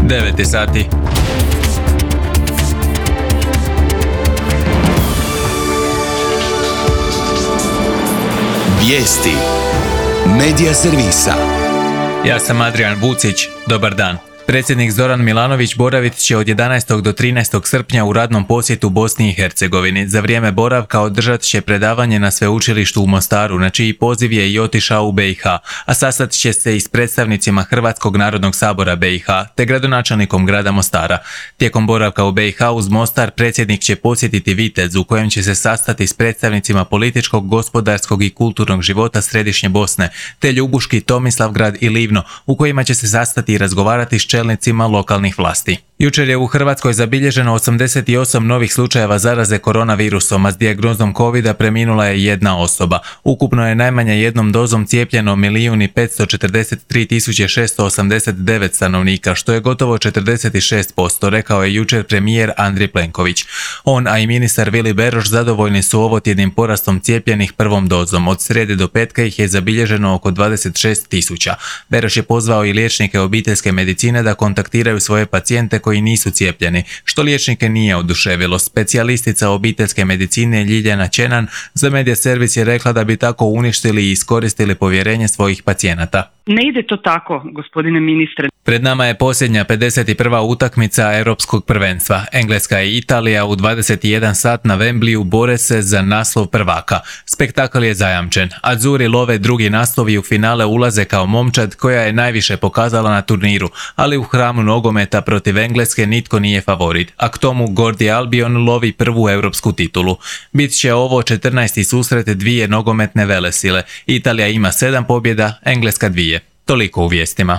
9 je sati. Vijesti Medija servisa. Ja sam Adrian Vucić, dobar dan. Predsjednik Zoran Milanović boravit će od 11. do 13. srpnja u radnom posjetu Bosni i Hercegovini. Za vrijeme boravka održat će predavanje na sveučilištu u Mostaru, na čiji poziv je i otišao u BiH, a sastat će se i s predstavnicima Hrvatskog narodnog sabora BiH, te gradonačelnikom grada Mostara. Tijekom boravka u BiH uz Mostar predsjednik će posjetiti Vitez, u kojem će se sastati s predstavnicima političkog, gospodarskog i kulturnog života Središnje Bosne, te Ljubuški, Tomislavgrad i Livno, u kojima će se sastati i razgovarati s čelnicima lokalnih vlasti. Jučer je u Hrvatskoj zabilježeno 88 novih slučajeva zaraze koronavirusom, a s dijagnozom covida preminula je jedna osoba. Ukupno je najmanje jednom dozom cijepljeno 1.543.689 stanovnika, što je gotovo 46%, rekao je jučer premijer Andrej Plenković. On, a i ministar Vili Beroš zadovoljni su ovotjednim porastom cijepljenih prvom dozom. Od srijede do petka ih je zabilježeno oko 26.000. Beroš je pozvao i liječnike obiteljske medicine da kontaktiraju svoje pacijente koji nisu cijepljeni, što liječnike nije oduševilo. Specijalistica obiteljske medicine Ljiljana Čenan za Medija servis je rekla da bi tako uništili i iskoristili povjerenje svojih pacijenata. Ne ide to tako, gospodine ministre. Pred nama je posljednja 51. utakmica Europskog prvenstva. Engleska i Italija u 21 sat na Wembleyu bore se za naslov prvaka. Spektakl je zajamčen. Azzurri love drugi naslov i u finale ulaze kao momčad koja je najviše pokazala na turniru, ali u hramu nogometa protiv Engleske nitko nije favorit, a k tomu Gordi Albion lovi prvu europsku titulu. Bit će ovo 14. susret dvije nogometne velesile. Italija ima 7 pobjeda, Engleska 2. Toliko u vijestima.